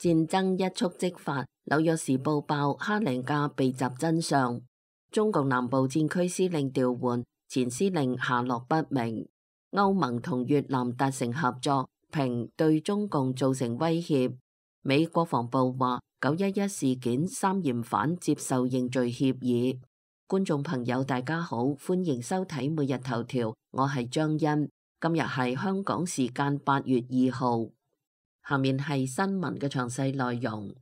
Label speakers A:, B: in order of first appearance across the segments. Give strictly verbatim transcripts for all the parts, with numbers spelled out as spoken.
A: 戰爭一觸即發，紐約時報爆哈尼亞被襲真相。中共南部戰區司令調換，前司令下落不明。歐盟同越南達成合作，評對中共造成威脅。美國防部話九一一事件三嫌犯接受認罪協議。觀眾朋友大家好，歡迎收睇每日頭條，我係張欣。今日係香港時間八月二號。下面係新聞嘅詳細內容。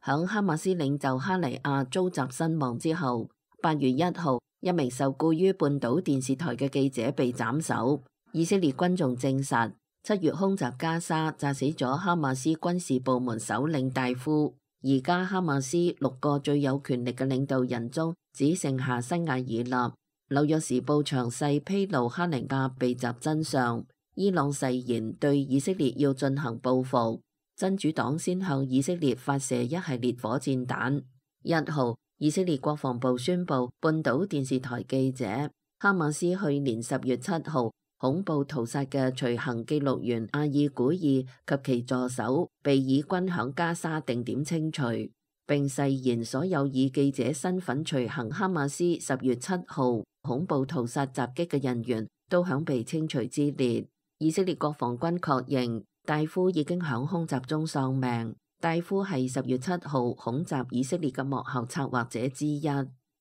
A: 響哈馬斯領袖哈尼亞遭襲身亡之後，八月一號，一名受雇於半島電視台嘅記者被斬首。以色列軍仲證實，七月空襲加沙，炸死咗哈馬斯軍事部門首領戴夫。而家哈馬斯六個最有權力嘅領導人中，只剩下辛瓦爾納。紐約時報詳細披露哈尼亞被襲真相。伊朗誓言對以色列要進行報復。真主黨先向以色列發射一系列火箭彈。一號，以色列國防部宣布，半島電視台記者哈馬斯去年十月七號恐怖屠殺嘅隨行記錄員阿爾古爾及其助手被以軍響加沙定點清除，並誓言所有以記者身份隨行哈馬斯十月七號恐怖屠殺襲擊嘅人員都響被清除之列。以色列國防軍確認戴夫已經響空襲中喪命。戴夫係十月七號恐襲以色列嘅幕後策劃者之一。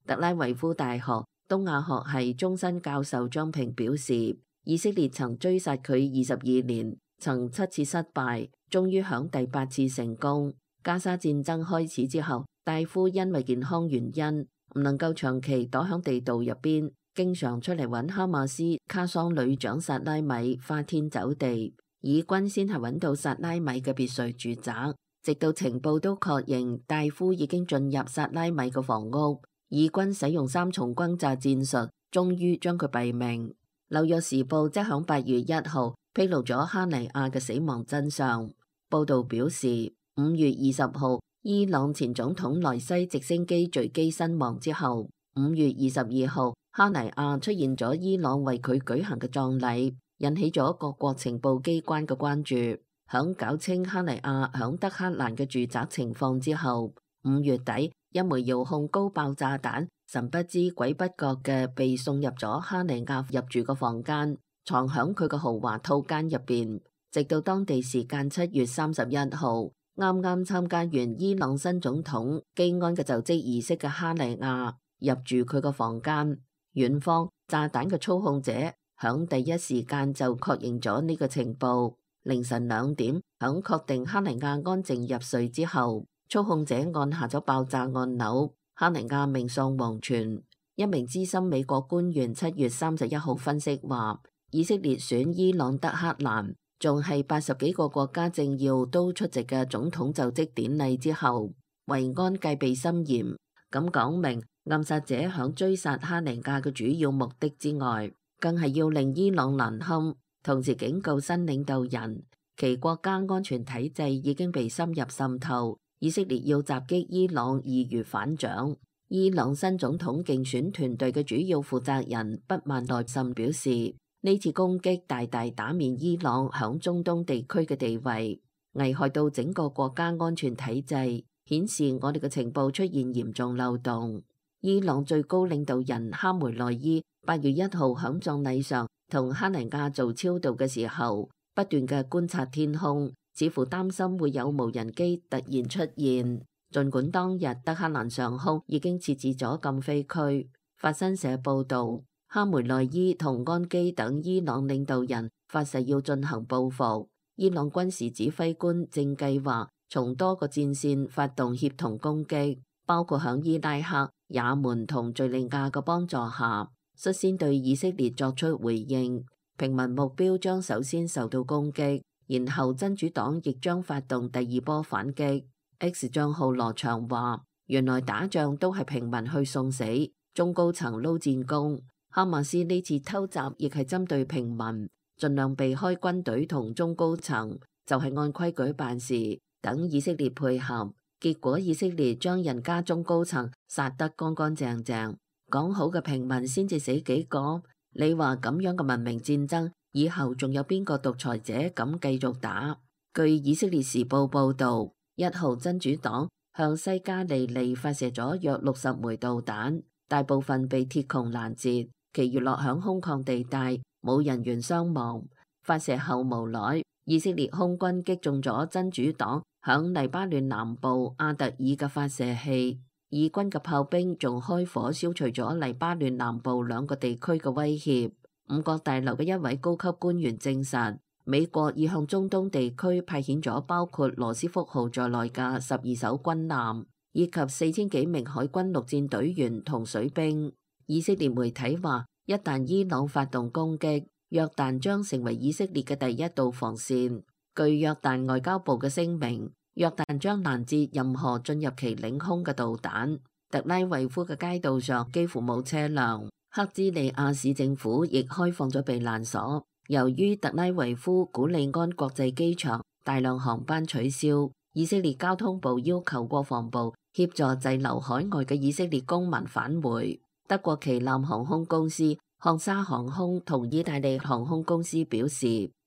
A: 特拉維夫大學東亞學系終身教授張平表示，以色列曾追殺佢二十二年，曾七次失敗，終於響第八次成功。加沙戰爭開始之後，戴夫因為健康原因唔能夠長期躲響地道入邊，經常出嚟揾哈馬斯卡桑旅長薩拉米花天酒地。以軍先係揾到薩拉米嘅別墅住宅，直到情報都確認戴夫已經進入薩拉米嘅房屋。以軍使用三重轟炸戰術，終於將佢斃命。紐約時報即響八月一號披露咗哈尼亞嘅死亡真相。報道表示，五月二十號伊朗前總統萊西直升機墜機身亡之後，五月二十二號哈尼亞出現咗伊朗為佢舉行嘅葬禮，引起咗各國情報機關嘅關注。響搞清哈尼亞響德黑蘭嘅住宅情況之後，五月底一枚遙控高爆炸彈神不知鬼不覺嘅被送入咗哈尼亞入住個房間，藏響佢個豪華套間入邊。直到當地時間七月三十一號，啱啱參加完伊朗新總統基安嘅就職儀式嘅哈尼亞入住佢個房間。院方炸彈嘅操控者響第一時間就確認咗呢個情報。凌晨兩點，響確定哈尼亞安靜入睡之後，操控者按下咗爆炸按鈕，哈尼亞命喪黃泉。一名資深美國官員七月三十一號分析話，以色列選伊朗德黑蘭，仲係八十幾個國家政要都出席嘅總統就職典禮之後，維安戒備森嚴，咁講明暗殺者響追殺哈尼亞嘅主要目的之外，更係要令伊朗難堪。同時警告新領導人，其國家安全體制已經被深入滲透，以色列要襲擊伊朗易如反掌。伊朗新總統競選團隊嘅主要負責人畢曼內什表示，呢次攻擊大大打面伊朗響中東地區嘅地位，危害到整個國家安全體制，顯示我哋嘅情報出現嚴重漏洞。伊朗最高領導人哈梅內伊八月一號響葬禮上同哈尼亞做超度嘅時候，不斷嘅觀察天空，似乎擔心會有無人機突然出現。儘管當日德黑蘭上空已經設置咗禁飛區。法新社報導，哈梅內伊同安基等伊朗領導人發誓要進行報復。伊朗軍事指揮官正計劃從多個戰線發動協同攻擊，包括響伊拉克、也門同敘利亞嘅幫助下，率先對以色列作出回應。平民目標將首先受到攻擊，然後真主黨亦將發動第二波反擊。X 帳號羅翔話，原來打仗都係平民去送死，中高層撈戰功。哈馬斯呢次偷襲亦係針對平民，盡量避開軍隊同中高層，就係按規矩辦事，等以色列配合。結果以色列將人家中高層殺得乾乾淨淨，講好嘅平民先至死幾個。你話咁樣嘅文明戰爭以後仲有邊個獨裁者敢繼續打？據以色列時報報導，一號真主黨向西加利利發射咗約六十枚導彈，大部分被鐵穹攔截，其餘落響空曠地帶，冇人員傷亡。發射後無耐，以色列空軍擊中咗真主黨響黎巴嫩南部阿特爾嘅發射器，以軍嘅炮兵仲開火消除咗黎巴嫩南部兩個地區嘅威脅。五角大樓嘅一位高級官員證實，美國已向中東地區派遣咗包括羅斯福號在內嘅十二艘軍艦，以及四千幾名海軍陸戰隊員同水兵。以色列媒體話，一旦伊朗發動攻擊，約旦將成為以色列嘅第一道防線。據約旦外交部嘅聲明，約旦將攔截任何進入其領空嘅導彈。特拉維夫嘅街道上幾乎冇車輛，克茲利亞市政府亦開放咗避難所。由於特拉維夫古利安國際機場大量航班取消，以色列交通部要求國防部協助滯留海外嘅以色列公民返回。德國旗艦航空公司漢莎航空同意大利航空公司表示，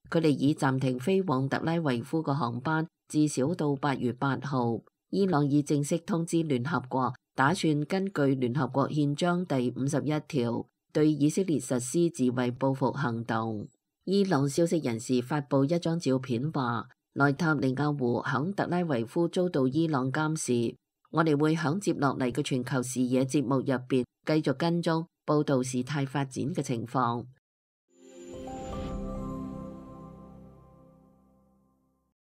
A: 佢哋已暫停飛往特拉維夫嘅航班，至少到八月八號。伊朗已正式通知聯合國，打算根據聯合國憲章第五十一條對以色列實施自衛報復行動。伊朗消息人士發布一張照片，話內塔尼亞胡響特拉維夫遭到伊朗監視。我哋會響接落嚟嘅全球視野節目入邊繼續跟蹤報道事態發展嘅情況。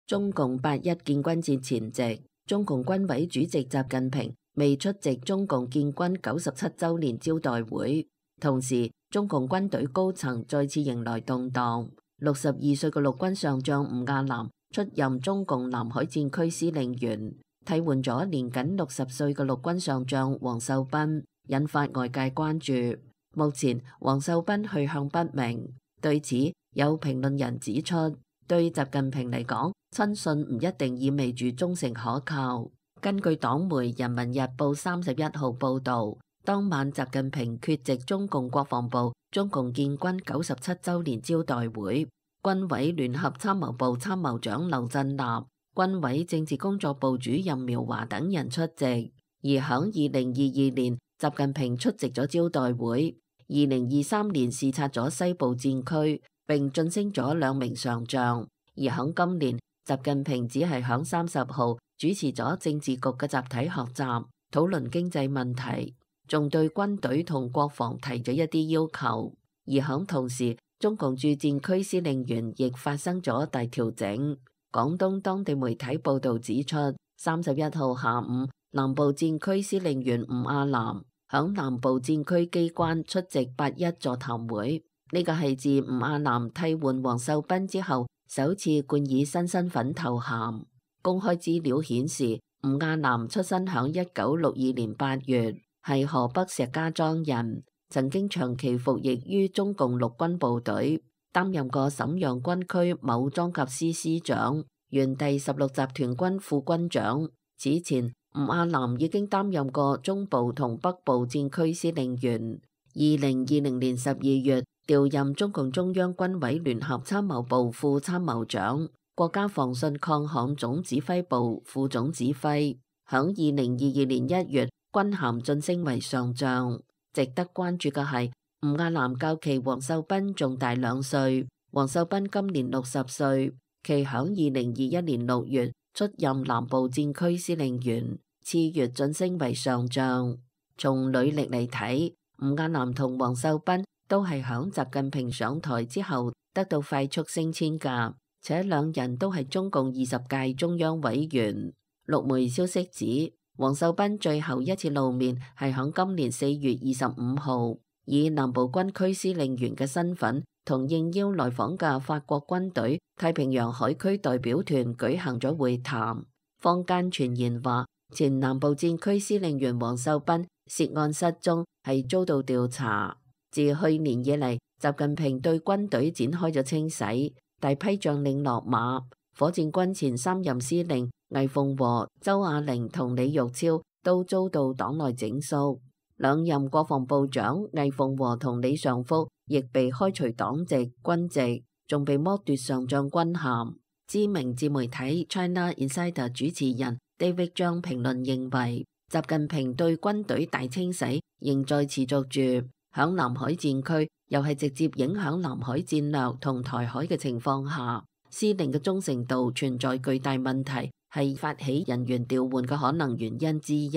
A: 中共八一建軍節前夕，中共軍委主席習近平未出席中共建軍九十七週年招待會，同時中共軍隊高層再次迎來動盪。六十二歲嘅陸軍上將吳亞南出任中共南海戰區司令員，替換咗年僅六十歲嘅陸軍上將王秀斌，引發外界關注。目前王秀斌去向不明，對此有評論人指出，對習近平嚟講，親信唔一定意味住忠誠可靠。根據黨媒《人民日報》三十一號報導，當晚習近平缺席中共國防部中共建軍九十七週年招待會，軍委聯合參謀部參謀長劉振立、軍委政治工作部主任苗華等人出席。而響二零二二年，習近平出席咗招待會；二零二三年視察咗西部戰區，並晉升咗兩名上將。而響今年，習近平只係響三十號主持咗政治局嘅集體學習，討論經濟問題，仲對軍隊同國防提咗一啲要求。而響同時，中共駐戰區司令員亦發生咗大調整。廣東當地媒體報道指出，三十一號下午，南部戰區司令員吳亞南響南部戰區機關出席八一座談會。呢個係自吳亞南替換王秀斌之後首次冠以新身份頭銜。公開資料顯示，吳亞南出生響一九六二年八月，係河北石家莊人，曾經長期服役於中共陸軍部隊，擔任過瀋陽軍區某裝甲師師長、原第十六集團軍副軍長。此前，吳亞南已經擔任過中部同北部戰區司令員。二零二零年十二月，調任中共中央軍委聯合參謀部副參謀長、國家防汛抗旱總指揮部副總指揮。響二零二二年一月，軍銜晉升為上將。值得關注嘅係，吳亞南較其王秀斌仲大兩歲。王秀斌今年六十歲，其響二零二一年六月出任南部戰區司令員，次月晉升為上將。從履歷嚟睇，吳亞南同王秀斌都係響習近平上台之後得到快速升遷噶，且兩人都係中共二十屆中央委員。陸媒消息指，王秀斌最後一次露面係響今年四月二十五號，以南部軍區司令員嘅身份同應邀來訪嘅法國軍隊太平洋海區代表團舉行咗會談。坊間傳言話，前南部戰區司令員王秀斌涉案失蹤，係遭到調查。自去年以嚟，習近平對軍隊展開咗清洗，大批將領落馬。火箭軍前三任司令魏鳳和、周亞玲同李玉超都遭到黨內整肅。兩任國防部長魏鳳和同李尚福亦被開除黨籍、軍籍，仲被剝奪上將軍銜。知名自媒體 China Insider 主持人 David Zhang 評論認為，習近平對軍隊大清洗仍在持續住，響南海戰區又係直接影響南海戰略同台海嘅情況下，司令嘅忠誠度存在巨大問題，係發起人員調換嘅可能原因之一。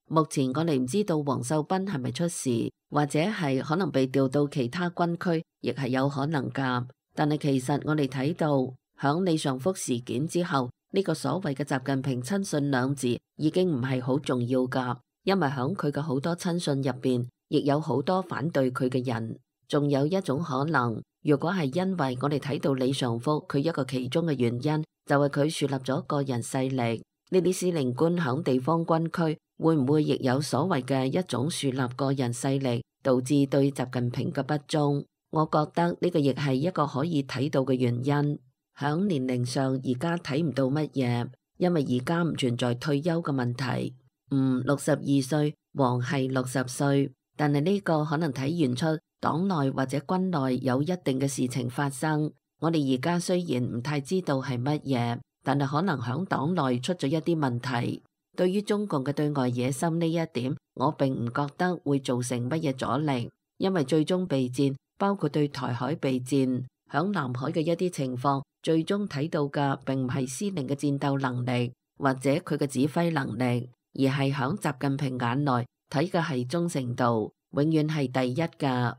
A: 目前我哋唔知道王秀斌係咪出事，或者係可能被調到其他軍區，亦係有可能㗎。但係其實我哋睇到，響李尚福事件之後，呢個所謂嘅習近平親信兩字已經唔係好重要㗎，因為響佢嘅好多親信入邊，亦有好多反對佢嘅人。仲有一種可能，如果係因為我哋睇到李尚福佢一個其中嘅原因，就係佢樹立咗個人勢力。呢啲司令官響地方軍區會唔會亦有所謂嘅一種樹立個人勢力，導致對習近平嘅不忠？我覺得呢個亦係一個可以睇到嘅原因。響年齡上而家睇唔到乜嘢，因為而家唔存在退休嘅問題。嗯，六十二歲，王係六十歲，但係呢個可能體現出黨內或者軍內有一定嘅事情發生。我哋而家雖然唔太知道係乜嘢，但係可能響黨內出咗一啲問題。對於中共嘅對外野心呢一點，我並唔覺得會造成乜嘢阻力，因為最終備戰包括對台海備戰，響南海嘅一啲情況，最終睇到嘅並唔係司令嘅戰鬥能力或者佢嘅指揮能力，而係響習近平眼內睇嘅係忠誠度，永遠係第一㗎。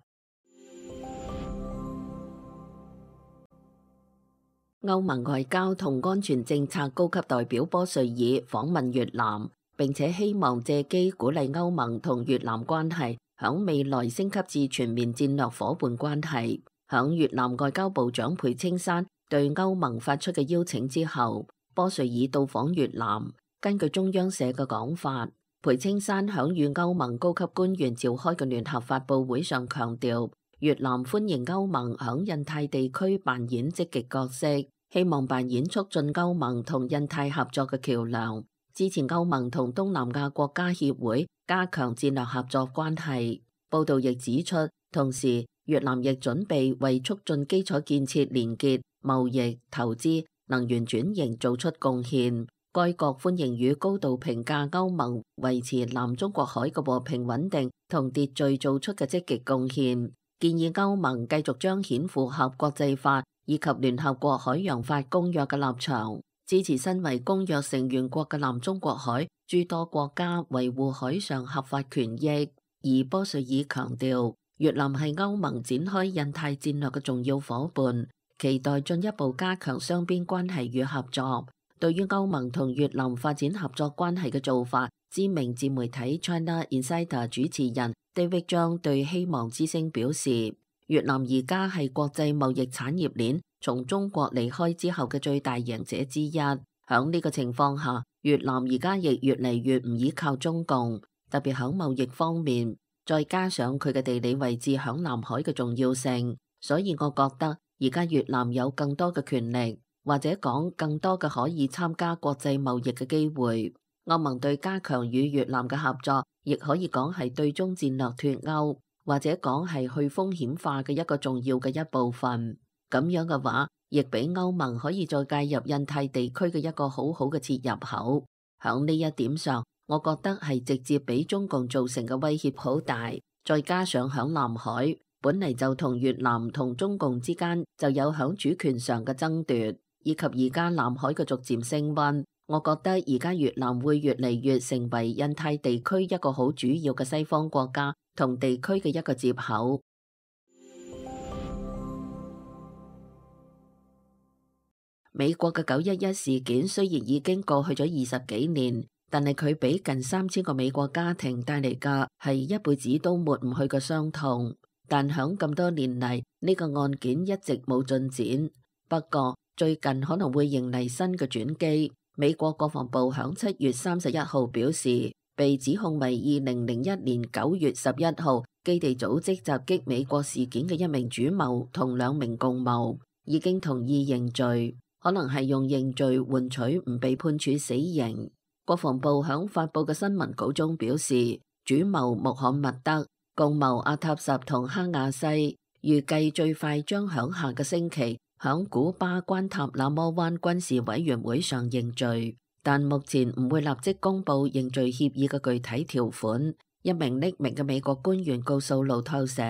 A: 歐盟外交同安全政策高級代表波瑞爾訪問越南，並且希望借機鼓勵歐盟同越南關係響未來升級至全面戰略夥伴關係。響越南外交部長裴青山對歐盟發出嘅邀請之後，波瑞爾到訪越南。根據中央社嘅講法，裴青山響與歐盟高級官員召開嘅聯合發佈會上強調，越南歡迎歐盟響印太地區扮演積極角色，希望扮演促進歐盟同印太合作嘅橋樑，支持歐盟同東南亞國家協會加強戰略合作關係。報道亦指出，同時越南亦準備為促進基礎建設連結、貿易、投資、能源轉型做出貢獻。該國歡迎與高度評價歐盟維持南中國海嘅和平穩定同秩序做出嘅積極貢獻。建議歐盟繼續彰顯符合國際法以及聯合國海洋法公約嘅立場，支持身為公約成員國嘅南中國海諸多國家維護海上合法權益。而波瑞爾強調，越南係歐盟展開印太戰略嘅重要夥伴，期待進一步加強雙邊關係與合作。對於歐盟同越南發展合作關係嘅做法，知名自媒體 China Insider 主持人 David Zhang 對希望之聲表示，越南而家係國際貿易產業鏈從中國離開之後嘅最大贏者之一。響呢個情況下，越南而家亦越嚟越唔依靠中共，特別響貿易方面，再加上佢嘅地理位置響南海嘅重要性，所以我覺得而家越南有更多嘅權力，或者講更多嘅可以參加國際貿易嘅機會。歐盟對加強與越南嘅合作，亦可以講係對中戰略脫歐，或者講係去風險化嘅一個重要嘅一部分。咁樣嘅話，亦俾歐盟可以再介入印太地區嘅一個好好嘅切入口。響呢一點上，我覺得係直接俾中共造成嘅威脅好大。再加上響南海，本嚟就同越南同中共之間就有響主權上嘅爭奪，以及而家南海嘅逐漸升溫，我覺得而家越南會越嚟越成為印太地區一個好主要嘅西方國家同地區嘅一個接口。美國嘅九一一事件雖然已經過去咗二十幾年，但係佢俾近三千個美國家庭帶嚟嘅係一輩子都抹唔去嘅傷痛。但響咁多年嚟，呢個案件一直冇進展。不過最近可能會迎嚟新嘅轉機。美國國防部響七月三十一號表示，被指控為二零零一年九月十一號基地組織襲擊美國事件嘅一名主謀同兩名共謀已經同意認罪，可能係用認罪換取唔被判處死刑。國防部響發佈嘅新聞稿中表示，主謀穆罕默德、共謀阿塔什同哈亞西預計最快將響下個星期響古巴關塔那摩灣軍事委員會上認罪，但目前唔會立即公布認罪協議嘅具體條款。一名匿名嘅美國官員告訴路透社，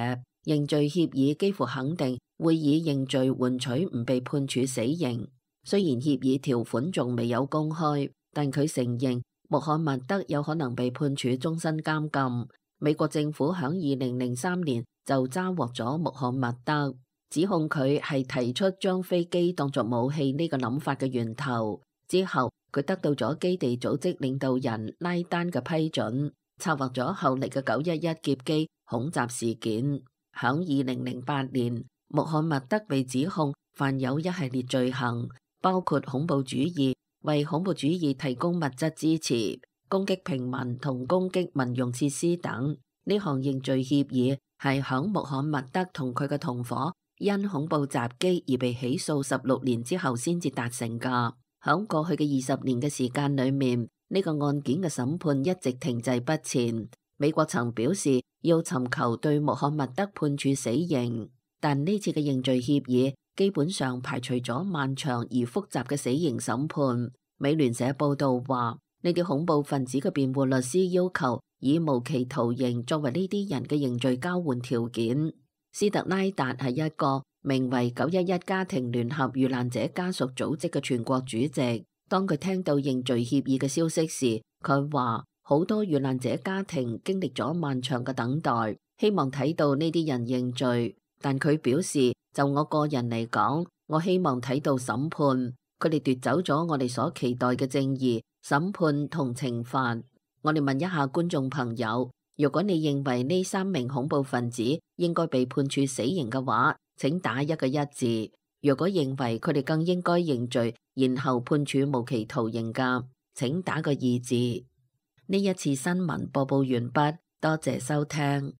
A: 認罪協議幾乎肯定會以認罪換取唔被判處死刑。雖然協議條款仲未有公開，但佢承認穆罕默德有可能被判處終身監禁。美國政府響二零零三年就抓獲咗穆罕默德，指控佢係提出將飛機當作武器呢個諗法嘅源頭。之後佢得到咗基地組織領導人拉丹嘅批准，策劃咗後嚟嘅九一一劫機恐襲事件。響二零零八年，穆罕默德被指控犯有一系列罪行，包括恐怖主義、為恐怖主義提供物質支持、攻擊平民同攻擊民用設施等。呢項認罪協議係響穆罕默德同佢嘅同伙因恐怖襲擊而被起訴十六年之後先至達成噶。響過去嘅二十年嘅時間裏面，呢個案件嘅審判一直停滯不前。美國曾表示要尋求對穆罕默德判處死刑，但呢次嘅認罪協議基本上排除咗漫長而複雜嘅死刑審判。美聯社報道話，呢啲恐怖分子嘅辯護律師要求以無期徒刑作為呢啲人嘅認罪交換條件。斯特拉達係一個名為九一一家庭聯合遇難者家屬組織嘅全國主席。當佢聽到認罪協議嘅消息時，佢話好多遇難者家庭經歷咗漫長嘅等待，希望睇到呢啲人認罪。但佢表示，就我個人嚟講，我希望睇到審判。佢哋奪走咗我哋所期待嘅正義、審判同懲罰。我哋問一下觀眾朋友，如果你認為呢三名恐怖分子應該被判處死刑嘅話，請打一個一字。如果認為佢哋更應該認罪，然後判處無期徒刑嘅，請打個二字。呢一次新聞播報完畢，多謝收聽。